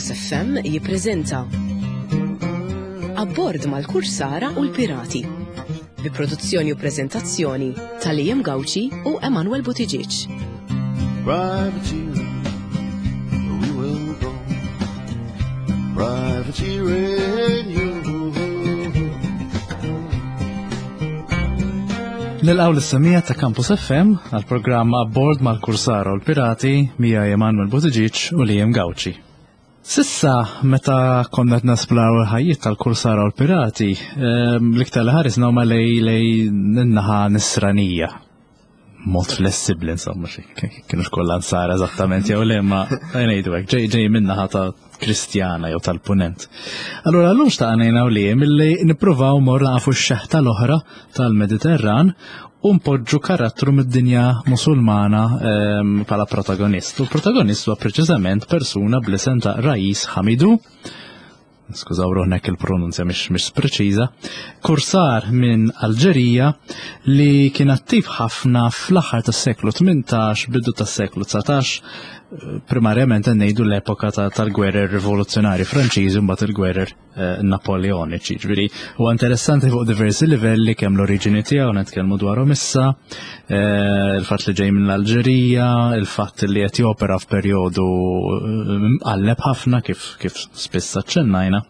Campus FM jippreżenta Abbord mal-Kursara u l-Pirati bi produzzjoni u preżentazzjoni ta' Liam Gauci u Emanuel Buttigieg. Privateering, we will go. Privateering, you. Nilqaw l-semija ta' Campus FM għal programma Abbord mal-Kursara u l-Pirati mija Emanuel Buttigieg u Liam Gauci. Sissa, meta konna qed nesplaw il-ħajjiet tal-Kursara u l-Pirati, ehm, l-iktar li ħarisna huma lej lej n-naħa nisranija. Mod flessibbli insomma, xi kienu kollha nsara eżattament jew le ma ngħidu hekk, ġej ġej min-naħa ta' Kristjana jew tal-Punent. Allura llum xtaqna jien u Liam illi nippruvaw mor nafu x-xeħta l-oħra tal-Mediterran u npoġġu karattru mid-dinja Musulmana ehm, bħala protagonist. U l-protagonist huwa preċiżament persuna bl-isem ta' Rais Hamidu, skużaw ruħnek il-pronunzja mhix mhix preċiża, kursar minn Alġerija li kien attiv ħafna fl-aħħar tas-seklu 18, bidu tas-seklu 19, primarjament ngħidu l-epoka tal-gwerer rivoluzzjonari Franċiżi mbagħad il-gwerer eh, Napoleoniċi. Ġifieri huwa interessanti fuq diversi livelli kemm l-oriġini tiegħu nitkellmu dwarhom issa, eh, il-fatt li ġej mill-Alġerija, il-fatt li qed jopera f'perjodu eh, mqalleb ħafna kif kif spiss aċċennajna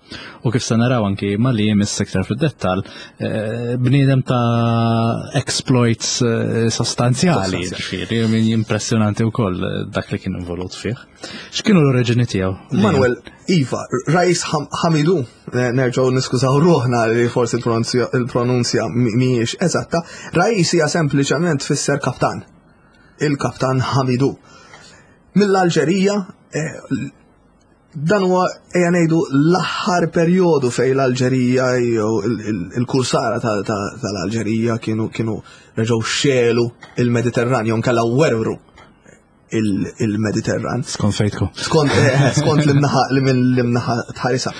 u kif se naraw anki ma li jmiss iktar fid-dettall bniedem ta' exploits sostanzjali, ġifieri min impressjonanti wkoll dak li kien involut fih. X'kienu l-oriġini tiegħu? Manuel, Iva, Rajs Hamidu, eh, nerġgħu niskużaw ruħna li forsi il-pronunzja mhijiex eżatta, Rajs hija sempliċement tfisser kaptan. Il-kaptan Hamidu. Mill-Alġerija, eh, dan huwa ejja ngħidu l-aħħar perjodu fejn l-Alġerija jew il-kursara tal-Alġerija kienu kienu reġgħu xelu il-Mediterran jew nkella werwru il-Mediterran. Skont fejtku. Skont eh, skont l-imnaħa li minn l-imnaħa tħarisa.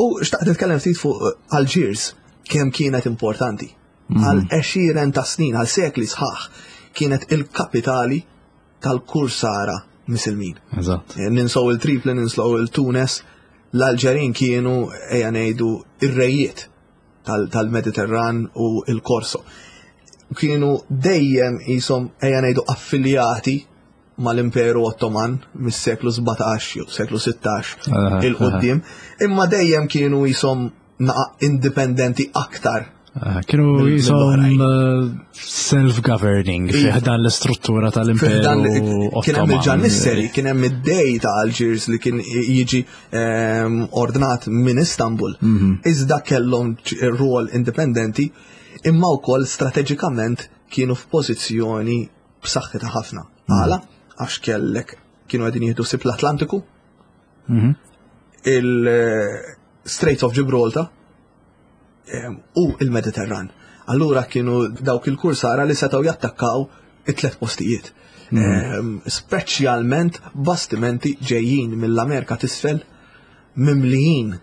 U xtaqt nitkellem ftit fuq eh, Algiers kemm kienet importanti. Mhm. Għal għexieren ta' snin, għal sekli sħaħ, kienet il-kapitali tal-kursara misilmin. Eżatt. Eh, ninsow il-Tripli, ninsow il-Tunes, l-Alġerin kienu ejja ngħidu ir-rejiet tal-Mediterran u il-Korso. Kienu dejjem jisom ejja ngħidu affiljati mal-Imperu Ottoman mis-seklu 17 jew seklu 16 il-qoddim, imma dejjem kienu jisom naqa indipendenti aktar Ah, kienu jisom eh, self-governing fiħdan l-istruttura tal-imperu. Kien hemm il-ġannisseri, kien hemm id-dej ta' Algiers li kien jiġi ehm, ordnat minn Istanbul. Mhm. Iżda kellhom rwol indipendenti imma wkoll strateġikament kienu f'pożizzjoni b'saħħitha ħafna. Mhm. Għala, għax kellek kienu qegħdin jieħdu sib l-Atlantiku, mhm. il-Straits of Gibraltar ehm, u il-Mediterran. Allura kienu dawk il-kursara li setgħu jattakkaw it-tlet postijiet. Ehm, speċjalment bastimenti ġejjin mill-Amerika t'isfel mimlijin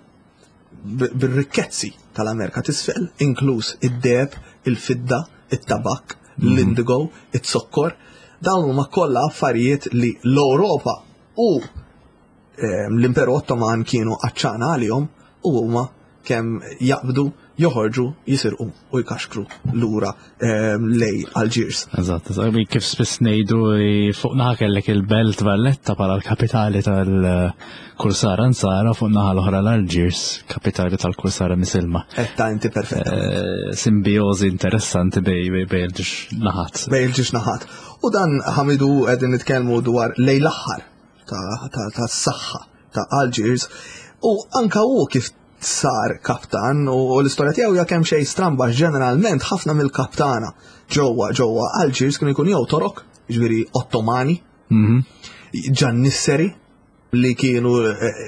bir-rikkezzi tal-Amerika t'isfel, inkluż id-deheb, il-fidda, it-tabak, l-indigo, it-zokkor. Dawn huma kollha affarijiet li l-Ewropa u ehm, l-Imperu Ottoman kienu għatxana għalihom u huma kemm jaqbdu, joħorġu, jisirqu u jkaxkru lura ehm, lej Algiers. Eżatt, eżatt, kif spiss ngħidu fuq naħa kellek il-Belt Valletta bħala l-kapitali tal-Kursara Nsara fuq naħa l-oħra l-Algiers, kapitali tal-Kursara Misilma. Etta inti perfetta. Eh, simbiożi interessanti bej bej il-ġiex naħat. Bej il-ġiex naħat. U dan ħamidu qegħdin nitkellmu dwar lej l-aħħar ta' saħħa ta' Algiers u anka hu kif sar kaptan u l-istorja tiegħu hija kemm xejn stramba ġeneralment ħafna mill-kaptana ġewwa ġewwa Algiers kienu jkunu jew Torok, ġifieri Ottomani, mhm. Ġannisseri li kienu eh,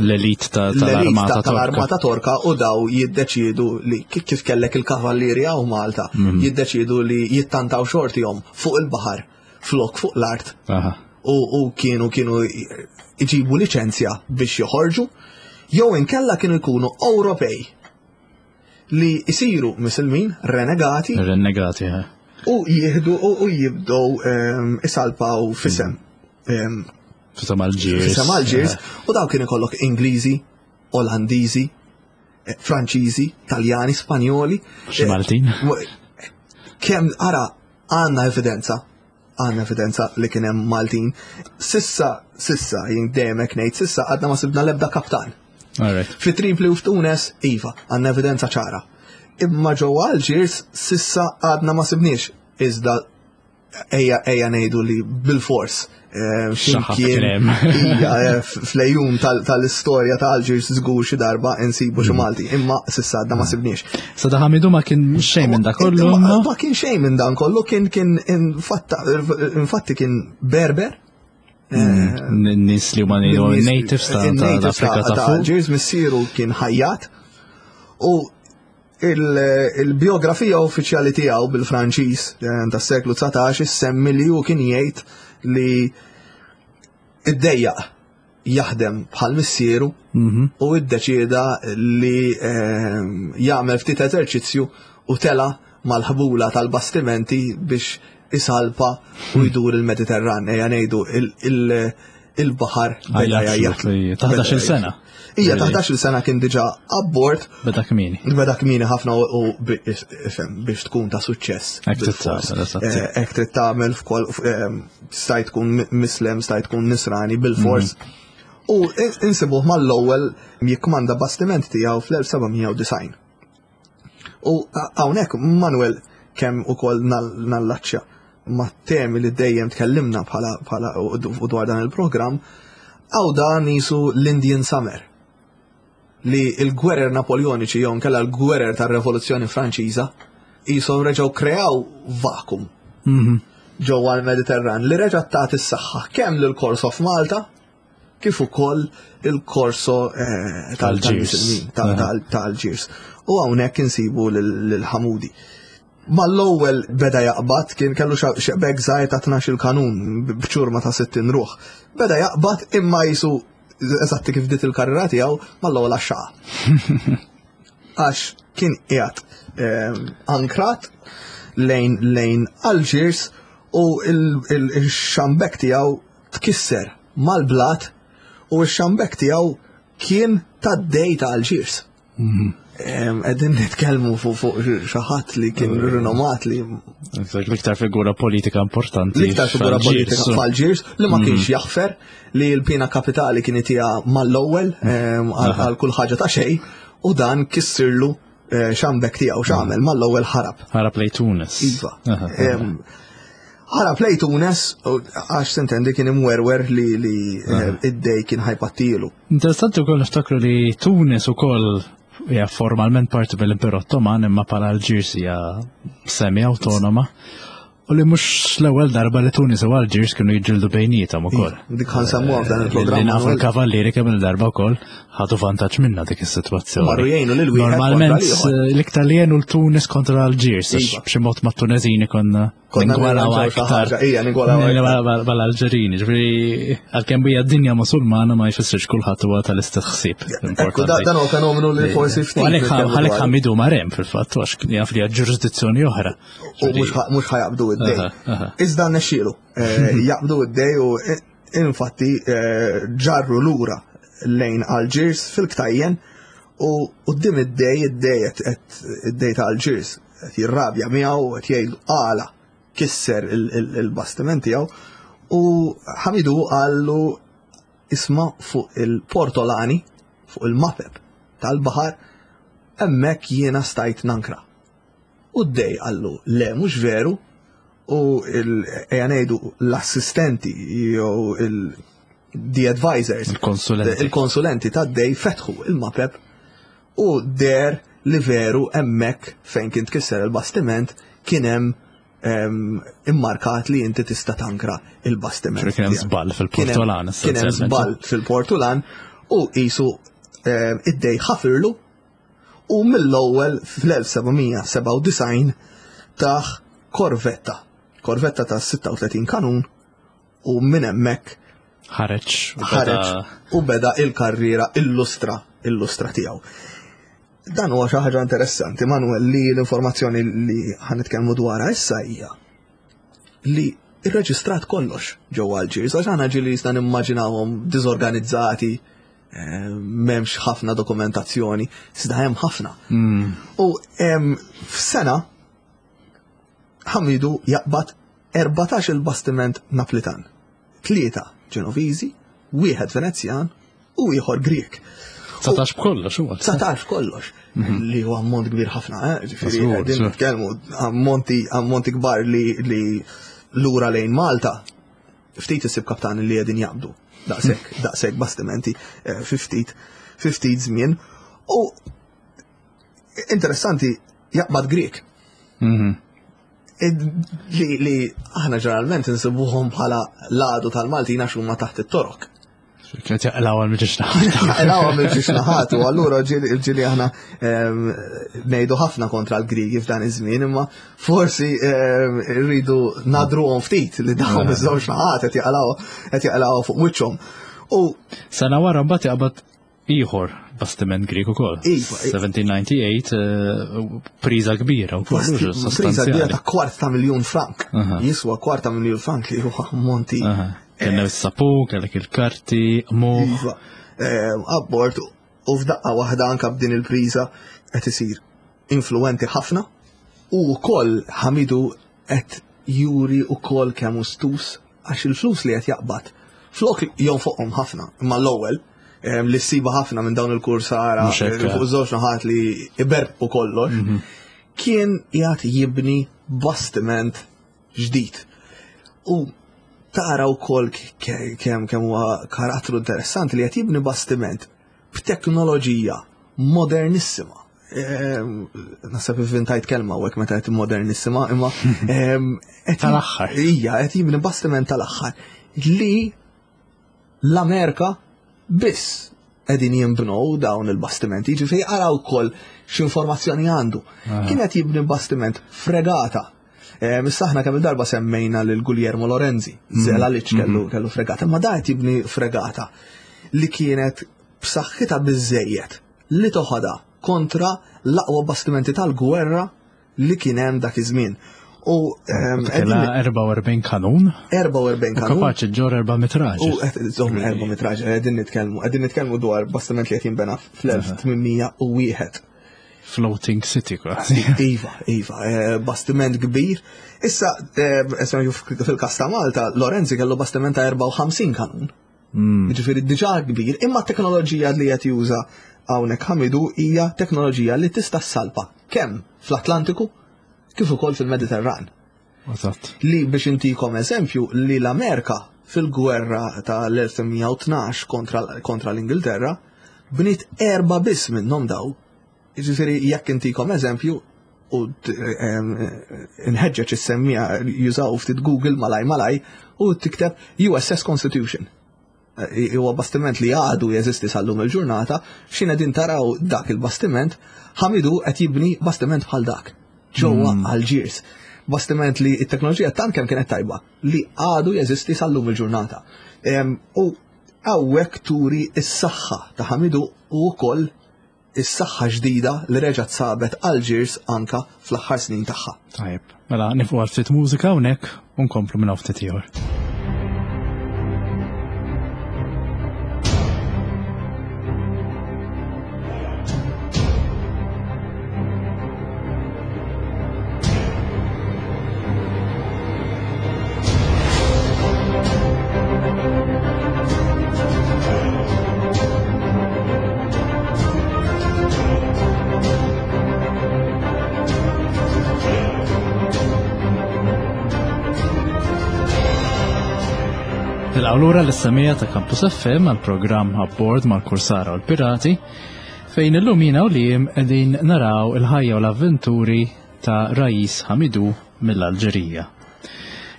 l-elit tal-armata tal-armata Torka u daw jiddeċiedu li kif kellek il-kavallieri hawn Malta, mhm. jiddeċiedu li jittantaw xortihom fuq il-baħar flok fuq l-art. U kienu kienu iġibu liċenzja biex joħorġu, jew inkella kienu jkunu Ewropej li jisiru misilmin, renegati. Renegati, eh. U jihdu u jibdow ehm, isalpaw fisem mm. ehm, Fisem Algiers. Fisem Algiers, u daw kien ikollok Ingliżi, Olandiżi, eh, Franċiżi, Taljani, Spanjoli. Xi eh, Maltin. Kemm ara għandna evidenza għandna evidenza li kien hemm Maltin. Sissa, sissa, jien dejjem hekk ngħid, sissa għadna ma sibna l-ebda kaptan. Fi Tripli u f'Tunes, iva, għandna evidenza ċara. Imma ġewwa Algiers sissa għadna ma sibniex iżda ejja ejja ngħidu li bil-fors eh, x'imkien eh, fl-ejjun tal-istorja ta' Algiers żgur xi darba insibu xi mm. Malti, imma sissa għadna ma mm. sibniex. Sa da Hamidu ma kien xejn minn dan kollu. Ma kien xejn minn dan kollu, kien kien infatti kien Berber. Mm. Eh, nis li huma natives ta' Afrika ta' fuq. Algiers missieru kien ħajjat u Il-biografija uffiċjali tiegħu bil-Franċiż eh, tas-seklu 19 issemmi li hu kien jgħid li iddejjaq jaħdem bħal missieru mhm. u iddeċieda li eh, jagħmel ftit eżerċizzju u tela mal-ħbula tal-bastimenti biex isalpa u jdur il-Mediterran, ejja ngħidu il-baħar beda jgħajjat. Ta' 11 sena. Ija, ta' 11 sena kien diġa abbord. Beda kmini. Beda kmini ħafna u biex tkun ta' suċċess. Hekk trid tagħmel f'kol eh, stajt tkun mislem, stajt tkun nisrani bil-fors. Mhm. U insibuh mal-ewwel jikkmanda bastiment tiegħu fl-1790. U hawnhekk Manuel kemm ukoll nallaċċja ma' temi li dejjem tkellimna bħala bħala u dwar dan il-programm, għaw dan jisu l-Indian Summer li il-gwerer Napoljoniċi jew nkella l-gwerer tar-Revoluzzjoni Franċiża jisom reġgħu kreaw vakum mhm. ġewwa l-Mediterran li reġgħet tagħti s-saħħa kemm lil Course of Malta kif ukoll il-korso eh, tal-Alġirs. Tal-Alġirs. U hawnhekk insibu lil-Ħamudi. Mal-ewwel beda jaqbad kien kellu xebek żgħir ta' 12 kanun b'ċurma ta' 60 ruħ. Beda jaqbad imma jisu eżatti kif dit il-karriera tiegħu mal-ewwel għaxxaqa. Għax kien qiegħed eh, ankrat lejn lejn Algiers u il-xambek tiegħu tkisser mal-blat u x-xambek tiegħu kien tad-dej ta' Alġiers. Mhm. Qegħdin nitkellmu fuq xi ħadd li kien eh. rinomat li. L-iktar figura politika importanti. L-iktar figura politika f'Alġiers li ma kienx mhm. jaħfer li l-pina kapitali kien itija mal-ewwel għal kull ħaġa ta' xejn u dan kissirlu eh, xambek tiegħu x'għamel mhm. mal-ewwel ħarab. Ħarab lej Tunis. Iva. Ħarab lej Tunis għax sintendi kien imwerwer li li eh, id-dej kien ħajpattilu. Interessanti wkoll niftakru li Tunis ukoll hija formalment parti mill-Imperu Ottoman imma bħala Alġirs hija semi awtonoma. U li mhux l-ewwel darba li Tunis u Alġirs kienu jiġġieldu bejniethom ukoll. Dik ħansemmuha f'dan eh, il-programm. Li nafu l-kavallieri kemm il-darba wkoll ħadu vantaġġ minna dik is-sitwazzjoni. Marru jgħinu lil wieħed. Normalment eh, l-iktar li jgħinu l-Tunis kontra Alġirs, għax iva. b'xi mod mat-Tuneżini konna Ningwalaw aktar. Ija, ningwalaw aktar. Mal-Alġerini, ġifieri għalkemm bija dinja Musulmana ma jfissirx kulħadd huwa tal-istess ħsieb. Dan huwa fenomenu li forsi ftit. Għalhekk ħamidu marem fil-fatt għax jaf li ġurisdizzjoni oħra. U mhux ħajaqbdu id-dej. Iżda nexxielu. Eh, jaqbdu id-dej u eh, infatti eh, ġarru lura lejn Alġirs fil-ktajjen u qudiem id-dej id-dej id-dej ta' Alġirs qed jirrabja miegħu qed jgħidlu għala kisser il-bastiment tiegħu u Ħamidu qallu isma' fuq il-portolani fuq il-mapep tal-baħar hemmhekk jiena stajt nankra. U d-dej qallu le mhux veru u ejja ngħidu l-assistenti jew il the advisors il-konsulenti il-konsulenti tad-dej fetħu il-mapep u der li veru hemmhekk fejn kien tkisser il-bastiment kien hemm ehm, immarkat li inti tista' tankra il-bastiment. Kien hemm żball fil-Portulan. Kien hemm żball fil-Portulan u qisu ehm, id-dej ħafirlu u mill-ewwel fl-1797 taħ korvetta. Korvetta ta' 36 kanun u minn hemmhekk ħareġ ħareġ u beda il-karriera illustra illustra tiegħu. Dan huwa xi ħaġa interessanti, Manuel, li l-informazzjoni li ħanitkellmu dwarha issa hija li irreġistrat kollox ġewwa Algiers, għax aħna ġieli jista' nimmaġinawhom diżorganizzati, eh, m'hemmx ħafna dokumentazzjoni, iżda hemm ħafna. U f'sena Ħamidu jaqbad 14 il-bastiment Naplitan, tlieta Ġenoviżi, wieħed Venezjan u ieħor Grieg. 19 b'kollox huwa. 19 kollox. Mhm. Li huwa ammont kbir ħafna, eh? Ġifieri qegħdin nitkellmu ammonti ammonti kbar li li lura lejn Malta ftit isib kaptani li qegħdin jaqbdu daqshekk daqshekk bastimenti eh, fi ftit fi ftit żmien. U interessanti jaqbad Grieg. Mhm. Li, li aħna ġeneralment insibuhom bħala l-għadu tal-Maltin għax huma taħt it-torok. Kienet jaqlaw għal miġiex naħat. Jaqlaw għal miġiex naħat, u allura ġili aħna ehm, ngħidu ħafna kontra l-Grigi f'dan iż-żmien, imma forsi ehm, rridu nadruhom ftit li dawn iż-żewġ naħat qed jaqlaw qed jaqlaw fuq wiċċhom. U sena wara mbagħad jaqbad Ieħor bastiment Grieg ukoll. 1798 iva, eh, priża kbira wkoll. Priża kbira ta' kwart ta' miljun frank. Jiswa kwart ta' miljun frank li huwa monti. Kellek is-sapu, kellek il-karti, muħ. Iva, eh, abbord u f'daqqa waħda anka b'din il-priża qed isir influenti ħafna u wkoll Ħamidu qed juri wkoll kemm hu stus għax il-flus li qed jaqbad flok jonfoqhom ħafna, imma l-ewwel li ssiba ħafna minn dawn il-kursara fuq żewġ naħat li iberbqu kollox, mhm. kien qiegħed jibni bastiment ġdid. U tara wkoll kemm kemm huwa karattru interessanti li qed jibni bastiment b'teknoloġija modernissima. Ehm, naħseb ivvintajt kelma u meta qed modernissima, imma ehm, tal-aħħar. Ija, qed jibni bastiment tal-aħħar li l-Amerika biss qegħdin jinbnew dawn il-bastimenti, ġifieri ara wkoll x'informazzjoni għandu. Ah. Kien qed jibni bastiment fregata. Ehm, issa aħna kemm il-darba semmejna lil Guglielmo Lorenzi, mm. zela li kellu mm. kellu fregata, ma da qed jibni fregata li kienet b'saħħitha biżejjed li toħodha kontra l-aqwa bastimenti tal-gwerra li kien hemm dak iż-żmien. U ehm, Kella 44 kanun. 44 kanun. Kapaċi ġor 4 raġel. U qed żomm 400 raġel qegħdin nitkellmu, qegħdin nitkellmu dwar bastiment li qed jinbena fl-1801. Floating City kważi. Iva, iva, eh, bastiment kbir. Issa, eh, fil-kas ta' Malta, Lorenzi kellu bastiment ta' 54 kanun. Mm. Ġifieri diġà kbir, imma t-teknoloġija li qed juża hawnhekk Ħamidu hija teknoloġija li tista' ssalpa kemm fl-Atlantiku kif ukoll fil-Mediterran. Eżatt. Li biex intikom eżempju li l-Amerika fil-gwerra tal-1812 kontra, kontra l-Ingilterra bniet erba biss minnhom daw. Jiġifieri jekk intikom eżempju u nħeġġeġ is-semmija jużaw ftit Google malaj malaj u tikteb USS Constitution. E, huwa bastiment li għadu jeżisti sal-lum il-ġurnata, x'in qegħdin taraw dak il-bastiment, Ħamidu qed jibni bastiment bħal dak ġewwa mm. Algiers. Bastiment li t-teknoloġija tant kemm kienet tajba li għadu jeżisti sal-lum il-ġurnata. U hawnhekk turi s-saħħa ta' Ħamidu u wkoll is-saħħa ġdida li reġgħet sabet Algiers anka fl-aħħar snin tagħha. Tajjeb, mela nifqu għal ftit mużika hawnhekk u nkomplu minn hawn ftit ieħor. Nilqgħu lura l-issemija ta' Campus FM għal programm Abbord mal-Kursara u l-Pirati fejn illum jiena u Liam qegħdin naraw il-ħajja u l-avventuri ta' Rajis Hamidu mill-Alġerija.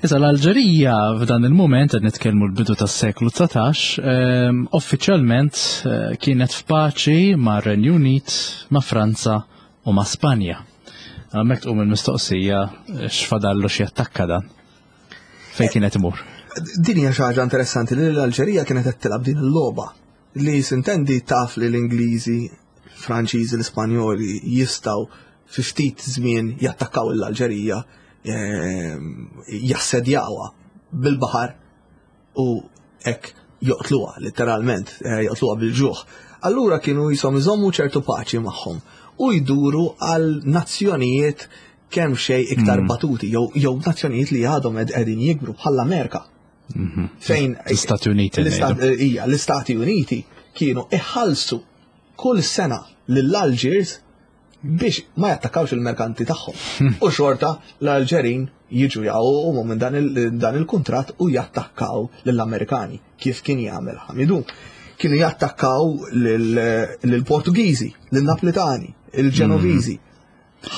Issa l-Alġerija f'dan il-mument qed nitkellmu l-bidu tas-seklu 19, ehm, uffiċjalment eh, kienet f'paċi ma' Renju Unit, ma' Franza u ma' Spanja. Hemmhekk tqum il-mistoqsija eh, x'fadallu x'jattakka dan. Fejn kienet imur? Din hija xi ħaġa interessanti li l-Alġerija kienet qed tilgħab din il-logħba li sintendi taf li l-Ingliżi, Franċiżi, l-Ispanjoli jistgħu fi ftit żmien jattakkaw l-Alġerija, ehm, jassedjawha. bil-baħar u hekk joqtluha litteralment, eh, joqtluha bil-ġuħ. Allura kienu jisom iżommu ċertu paċi magħhom u jduru għal nazzjonijiet kemm xej iktar mm. batuti jew jew nazzjonijiet li għadhom qegħdin jikbru bħall-Amerika. Mhm. Fejn l-Istati Uniti. Eh, l-Istati Uniti kienu iħallsu kull sena lill-Algiers biex ma jattakkawx il-merkanti tagħhom. U xorta l-Alġerin jiġu jaqgħu minn dan il-kuntratt u jattakkaw lill-Amerikani kif kien jagħmel Ħamidu. Kienu jattakkaw lill-Portugiżi, lill-Naplitani, il-Ġenoviżi,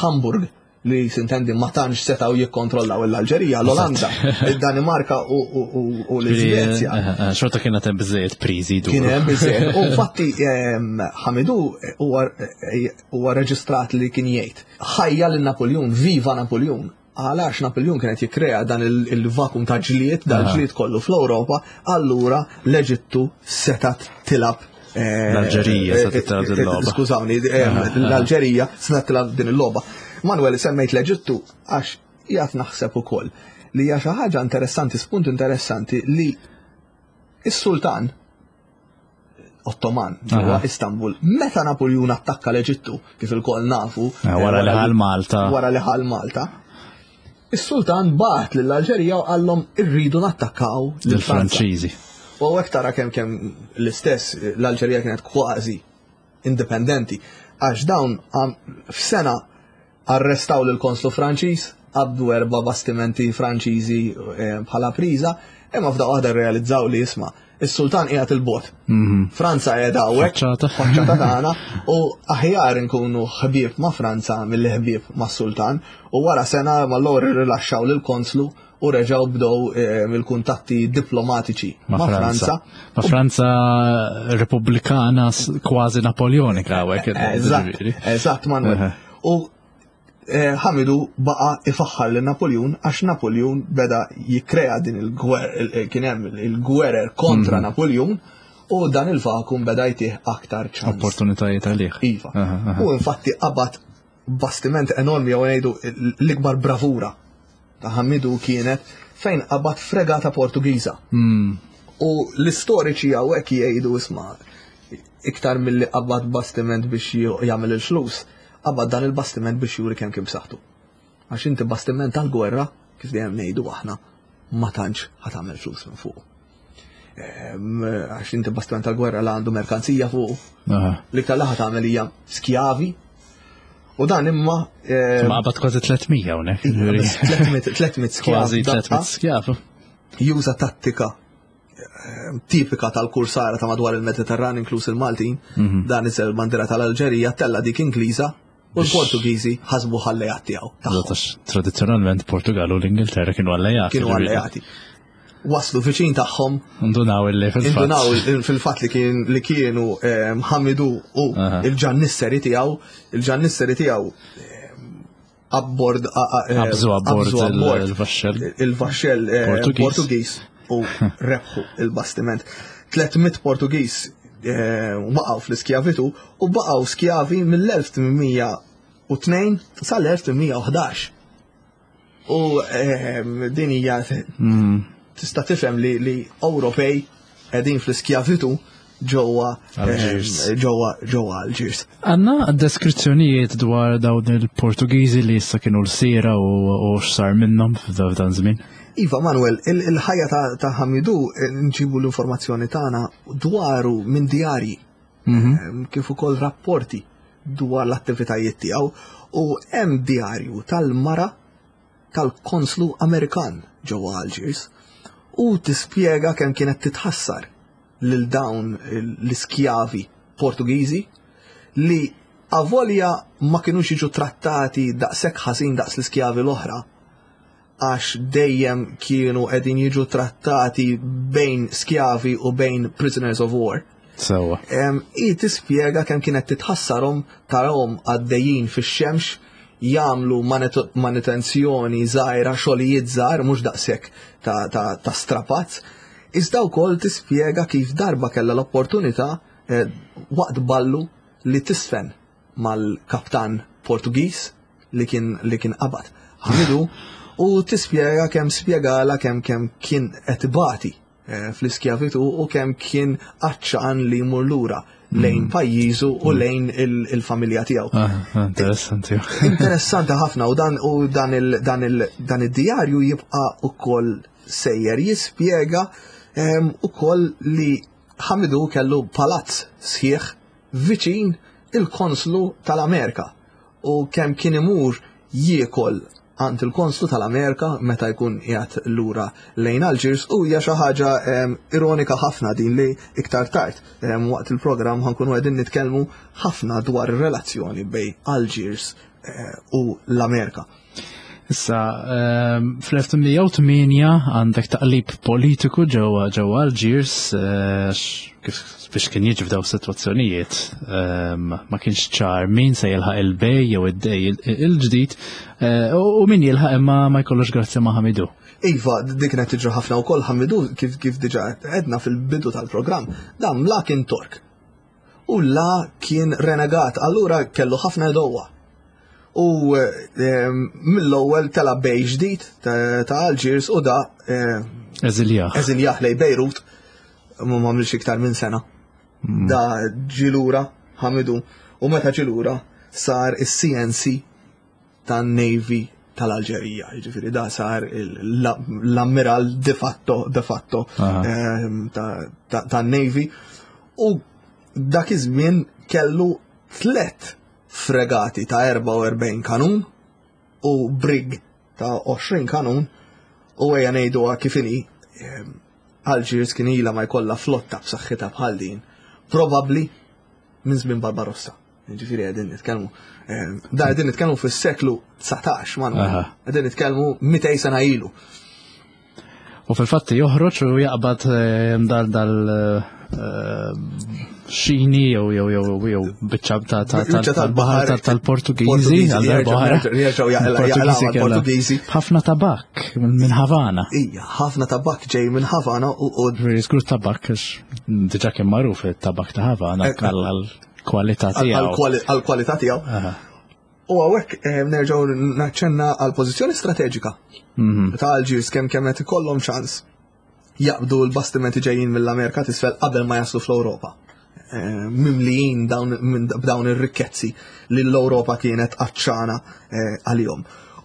Hamburg, li sintendi ma tantx setgħu jikkontrollaw l-Alġerija, l-Olanda, id-Danimarka u l-Iżvezja. Eh, eh, eh, xorta kien hemm biżejjed priżi Kien hemm biżejjed. U fatti ehm, Hamidu huwa reġistrat li kien jgħid ħajja lil Napoljun, viva Napoljun. Għalax Napoljun kienet jikkrea dan il-vakum ta' ġlied, dal ġlied kollu fl-Ewropa, allura l-Eġittu setat tilab Eh, L-Alġerija se titlab din il-logħba. Skużawni, eh, l-Alġerija se titlab din il-logħba. Manuel semmejt l-Eġittu għax jgħat naħseb ukoll li hija xi ħaġa interessanti, spunt interessanti li is-sultan Ottoman ġewwa Istanbul, meta Napoljun attakka l-Eġittu, kif il-koll nafu, eh, wara li ħal Malta. Wara li ħal Malta. Is-sultan bagħat lill-Alġerija u qallhom irridu nattakkaw lill-Franċiżi. U hawnhekk tara kemm kemm l-istess l-Alġerija kienet kważi indipendenti għax dawn f'sena arrestaw lil konslu Franċiż, qabdu erba' bastimenti Franċiżi eh, bħala priża, imma f'daqqa waħda rrealizzaw li isma' Is-sultan qiegħed il-bogħod. Mhm. Franza qiegħda hawnhekk, faċċata tagħna, u aħjar inkunu ħbieb ma' Franza milli ħbieb mas-sultan. U wara sena mal-lor irrilaxxaw lill-konslu u reġgħu bdew eh, mill-kuntatti diplomatiċi ma' Franza. Ma' Franza Repubblikana kważi Napoleonika hawnhekk. Eżatt, eżatt Manuel. U Eh, Ħamidu baqa ifaħħar lil Napoljun għax Napoljun beda jikkrea din il-gwer, kien hemm il-gwerer kontra mhm. Napoljun u dan il-vakum beda jtih aktar ċans. Opportunitajiet għalih. Iva. U infatti qabad bastiment enormi jew ngħidu l-ikbar bravura ta' Ħamidu kienet fejn qabad fregata Portugiża. Hmm. U l-istoriċi hawnhekk jgħidu isma' iktar milli qabad bastiment biex jagħmel il-flus Qabad dan il-bastiment biex juri kemm kien b'saħħtu. Għax inti bastiment tal-gwerra, kif dejjem ngħidu aħna, ma tantx ħa tagħmel flus minn fuq. Ehm, għax inti bastiment tal-gwerra la għandu merkanzija fuq. L-iktar li ħa tagħmel hija skjavi. U dan imma. Ehm, ma qabad kważi 300 hawnhekk. 300 skjav. Kważi 300 skjav. Juża tattika tipika tal-kursara ta' madwar il-Mediterran inkluż il-Maltin, mhm. dan iżel bandira tal-Alġerija tella dik Ingliża u l-Portugiżi ħasbu ħallejat tiegħu. Tradizzjonalment Portugal u l-Ingilterra kienu allejati. Kienu allejati. Waslu viċin tagħhom. Ndunaw illi fil-fatt. Ndunaw fil-fatt li kien li kienu eh, Ħamidu u il-ġannisseri tiegħu, il-ġannisseri tiegħu eh, abbord eh, Qabżu abbord il-vaxxell. Il-vaxxell eh, Portugiż u rebħu il-bastiment. 300 Portugiż eh, waqgħu fl-iskjavitu u baqgħu skjavi mill-1802 sal-1811. U din hija hmm. tista' tifhem li Ewropej qegħdin fl-iskjavitu ġewwa ġewwa ġewwa Alġiers. Għandna deskrizzjonijiet dwar dawn il-Portugiżi li issa kienu l-sira u x'sar minnhom f'dan żmien? Iva, Manuel, il-ħajja ta' Hamidu eh, nġibu l-informazzjoni tagħna dwaru minn djarji mhm. eh, kif ukoll rapporti dwar l-attivitajiet tiegħu u hemm djarju tal-mara tal-konslu Amerikan ġewwa Algiers u tispjega kemm kienet titħassar lil dawn l-iskjavi Portugiżi li avolja ma kinux jiġu trattati daqshekk ħażin daqs l-iskjavi l-oħra għax dejjem kienu qegħdin jiġu trattati bejn skjavi u bejn prisoners of war. Sewa. I tispjega kemm kienet titħassarhom tarahom għaddejjin fix-xemx jagħmlu manutenzjoni żgħira, xogħlijiet żgħar mhux daqshekk ta', ta, ta strapazz. Iżda wkoll tispjega kif darba kellha l-opportunità eh, waqt ballu li tisfen mal-kaptan Portugiż li kien li kien qabad. Ħamidu U tispjega kemm spjegala kemm kemm kien qed ibati eh, fl-iskjavitu u kemm kien għatxan li jmur lura lejn mm. pajjiżu u mm. lejn il-familja tiegħu. Ah, ah, interessanti. Interessanti ħafna u dan u dan il dan il dan id-djarju jibqa' ukoll sejjer jispjega ehm, ukoll li Ħamidu kellu palazz sħiħ viċin il-konslu tal-Amerika u kemm kien imur jiekol għand il-konslu tal-Amerika meta jkun qiegħed lura lejn Algiers u hija xi ħaġa ehm, ironika ħafna din li iktar tard ehm, waqt il-programm ħankunu qegħdin nitkellmu ħafna dwar ir-relazzjoni bejn Algiers eh, u l-Amerika. Issa, ehm, fl-1808 għandek taqlib politiku ġewwa ġewwa Algiers, eh, kif biex kien jiġi f'daw sitwazzjonijiet, ehm, ma kienx ċar min se jilħaq il-bej jew id-dej il-ġdid, eh, u min jilħaq imma ma jkollux grazzja ma' Ħamidu. Iva, dik kienet tiġri ħafna wkoll Ħamidu kif kif diġà għedna fil-bidu tal-programm, dan la kien Tork. U la kien renegat, allura kellu ħafna edowa. U ehm, mill-ewwel tela bej ġdid ta' Algiers u da ehm, Eżiljah. Eżiljah lej Bejrut ma għamilx iktar minn sena. Mm. Da ġilura Ħamidu u meta ġilura sar is-CNC tan-Navy tal-Alġerija, jiġifieri da sar l-ammiral de facto de facto ehm, tan-Navy u dak iż-żmien kellu tlet fregati ta' 44 kanun u brig ta' 20 kanun u ejja ngħiduha kif inhi ehm, Algiers kien ilha ma jkollha flotta b'saħħitha bħal din, probabbli minn żmien Barbarossa. Ġifieri qegħdin nitkellmu. Ehm, da qegħdin nitkellmu fis-seklu 19 man. Qegħdin nitkellmu 200 sena ilu. U fil-fatt joħroġ u jaqbad ehm, dal dal ehm, xini jew jew jew jew biċċa ta' tal-baħar tal-Portugiżi għal darba Portugiżi. Ħafna tabak minn Havana. Ija, ħafna tabak ġej minn Havana u Żgur tabak diġà kien magħruf it-tabak ta' Havana eh, għal kwalità tiegħu. Għal kwalità tiegħu. U hawnhekk eh, nerġgħu naċċenna għal pożizzjoni strateġika mhm. ta' Algiers kemm kemm qed ikollhom ċans jaqbdu l-bastimenti ġejjin mill-Amerika t'isfel qabel ma jaslu fl-Ewropa. Eh, mimlijin b'dawn ir-rikkezzi li l-Ewropa kienet għatxana eh, għalihom.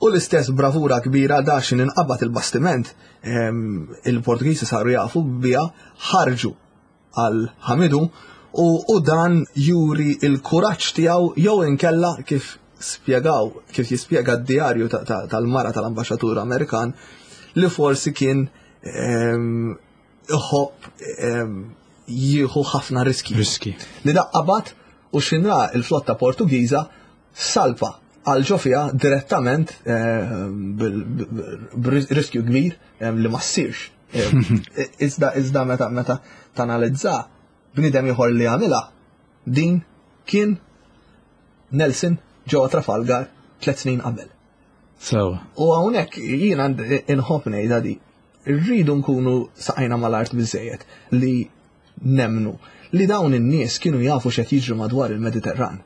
U l-istess bravura kbira daxin inqabad il-bastiment il-Portugiżi saru jafu bija ħarġu għal Ħamidu u, u dan juri il-kuraġġ tiegħu jew inkella kif spjegaw, kif jispjega d-djarju tal-mara tal-ambaxxatur Amerikan li forsi kien ehm, iħobb ehm, jieħu ħafna riski. Riski. Li daqqabat u xinra il-flotta Portugiża salpa għal ġo fiha direttament ehm, b'riskju kbir li ma ssirx. Iżda iżda meta meta tanalizza bniedem ieħor li għamilha din kien Nelson ġewwa Trafalgar tliet snin qabel. So. U hawnhekk jiena inħobb ngħidha di. Rridu nkunu saqajna mal-art biżejjed li nemnu li dawn in-nies kienu jafu x'qed jiġri madwar il-Mediterran.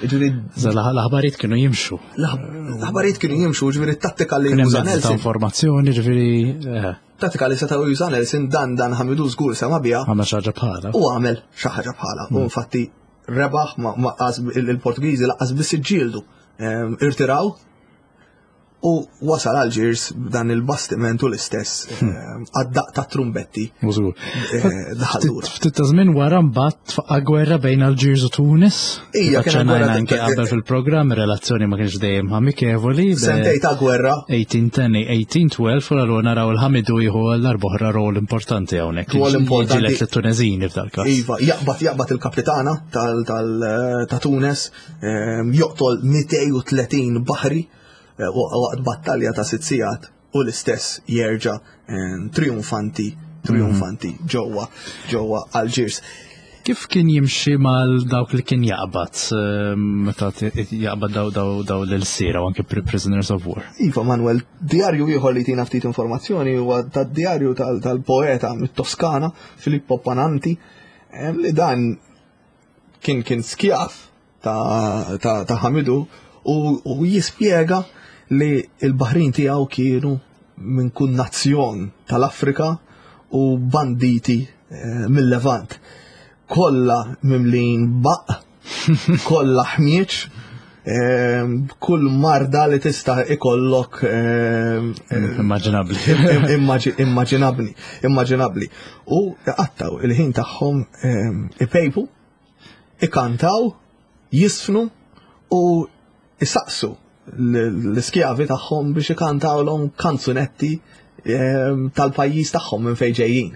Ġifieri l-aħbarijiet kienu jimxu. L-aħbarijiet kienu jimxu, ġifieri tattika li juża Nelson. informazzjoni, ġifieri. Eh. Tattika li setgħu juża Nelson dan dan ħamidu żgur sema biha. Għamel xi ħaġa bħala. U għamel xi ħaġa bħala. U hmm. infatti rebaħ ma il-Portugiżi laqqas biss iġġieldu. Ehm, irtiraw U wasal Algiers b'dan il-bastiment u l-istess hmm. eh, għad-daq ta' trumbetti. Eh, ftit ta' żmien wara mbagħad tfaqqa gwerra bejn Algiers u Tunis. Ija, kien gwerra anke qabel fil-programm relazzjoni ma kienx dejjem amikevoli. Sentej ta' gwerra. 1810, 1812 u allura naraw il-Ħamidu jieħu l-arboħra rol importanti hawnhekk. Rol importanti. Ġilet lit-Tuneżini f'dal-każ. Iva, jaqbad jaqbad il-kapitana tal ta' Tunes, eh, joqtol 230 baħri Eh, waqt battalja ta' sitt sigħat u l-istess jerġa' eh, triumfanti triumfanti mhm. ġewwa ġewwa Algiers. Kif kien jimxi mal dawk li kien jaqbad eh, meta jaqbad daw daw daw l-sira u anke prisoners of war? Iva Manuel, djarju ieħor li tina ftit informazzjoni huwa tad-djarju tal-poeta mit-Toskana Filippo Pananti li dan kien kien skjaf ta' Hamidu u jispjega li l-baħrin tiegħu kienu minn kull nazzjon tal-Afrika u banditi eh, mill-Levant. Kollha mimlin baq, kollha ħmieġ, eh, kull marda li tista' ikollok eh, immaġinabbli. Immaġinabbli, immaġinabbli. U qattaw il-ħin tagħhom ipejpu, ikantaw, jisfnu u isaqsu l-iskjavi tagħhom biex ikantawlhom kanzunetti ehm, tal-pajjiż tagħhom minn fejn ġejjin.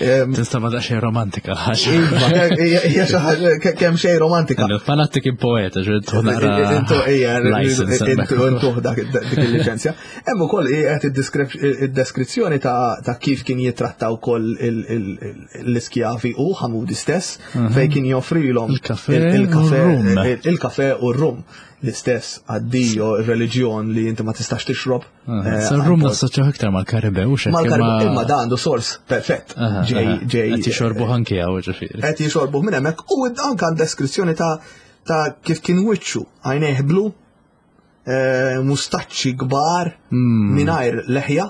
Ehm, Tista' ma daqsxejn romantika ħaġa. Iva, hija xi ħaġa kemm xejn romantika. Fanatti kien poeta, ġrid Intu hija intu dik il-liċenzja. Hemm ukoll qed id-deskrizzjoni ta' kif kien jitratta wkoll l-iskjavi u Ħamudi stess mhm. fejn kien joffrilhom il-kafe u r-rum l-istess addio reliġjon li inti ma tistax tixrob. Eh, Sa rum nassoċjaw iktar mal-Karibew xek. Mal-Karibew, imma da għandu sors perfett. Ġej, ġej. Qed jixorbu anki hawn ġifieri. Qed jixorbu minn hemmhekk u anke deskrizzjoni ta' ta' kif kien wiċċu għajnejh blu, eh, mustaċċi kbar hmm. mingħajr leħja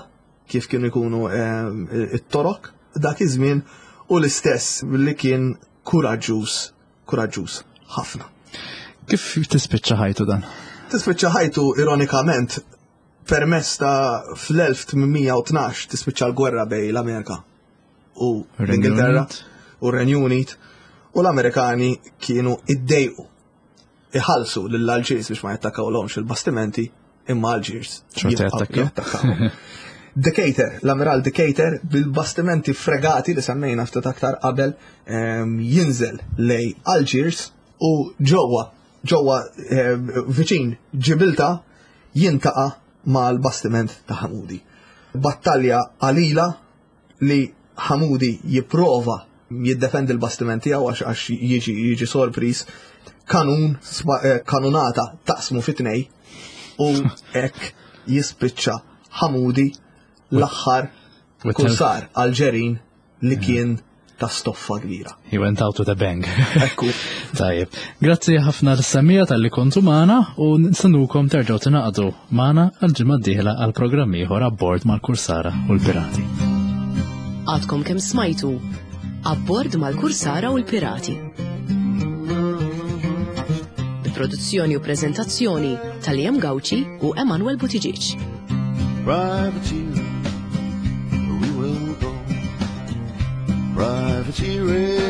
kif kienu jkunu eh, it-torok dak iż-żmien u l-istess li kien kuraġġuż kuraġġuż ħafna. Kif tispiċċa ħajtu dan? Tispiċċa ħajtu ironikament permess ta' fl-1812 tispiċċa l-gwerra bej l-Amerika u l-Ingilterra u r-Renju Unit u l-Amerikani kienu iddejqu iħallsu lill-Alġiers biex ma jattakkawlhomx il-bastimenti imma Alġiers jattakkaw. Decatur, l-Amiral Decatur bil-bastimenti fregati li semmejna ftit aktar qabel ehm, jinżel lej Algiers u ġewwa ġewwa ehm, viċin Ġibilta jintaqa' mal-bastiment ta' Hamudi. Battalja qalila li Hamudi jipprova jiddefendi l-bastiment tiegħu għax għax jiġi jiġi sorpriż kanun eh, kanunata taqsmu fi tnej u hekk jispiċċa Hamudi l-aħħar kursar Alġerin li kien ta' stoffa kbira. He went out with a bang. Ekku. Tajjeb. Grazzi ħafna l-semija tal-li kontu maħna u nistennukom terġgħu tingħaqdu maħna għal-ġimgħa d-dieħla għal programm ieħor abbord mal-Kursara u l-Pirati. Għadkom kemm smajtu Abbord mal-Kursara u l-Pirati. Bi produzzjoni u preżentazzjoni tal-Jem Gauci u Emanuel Buttigieg. Privateer, we will go. Privateering.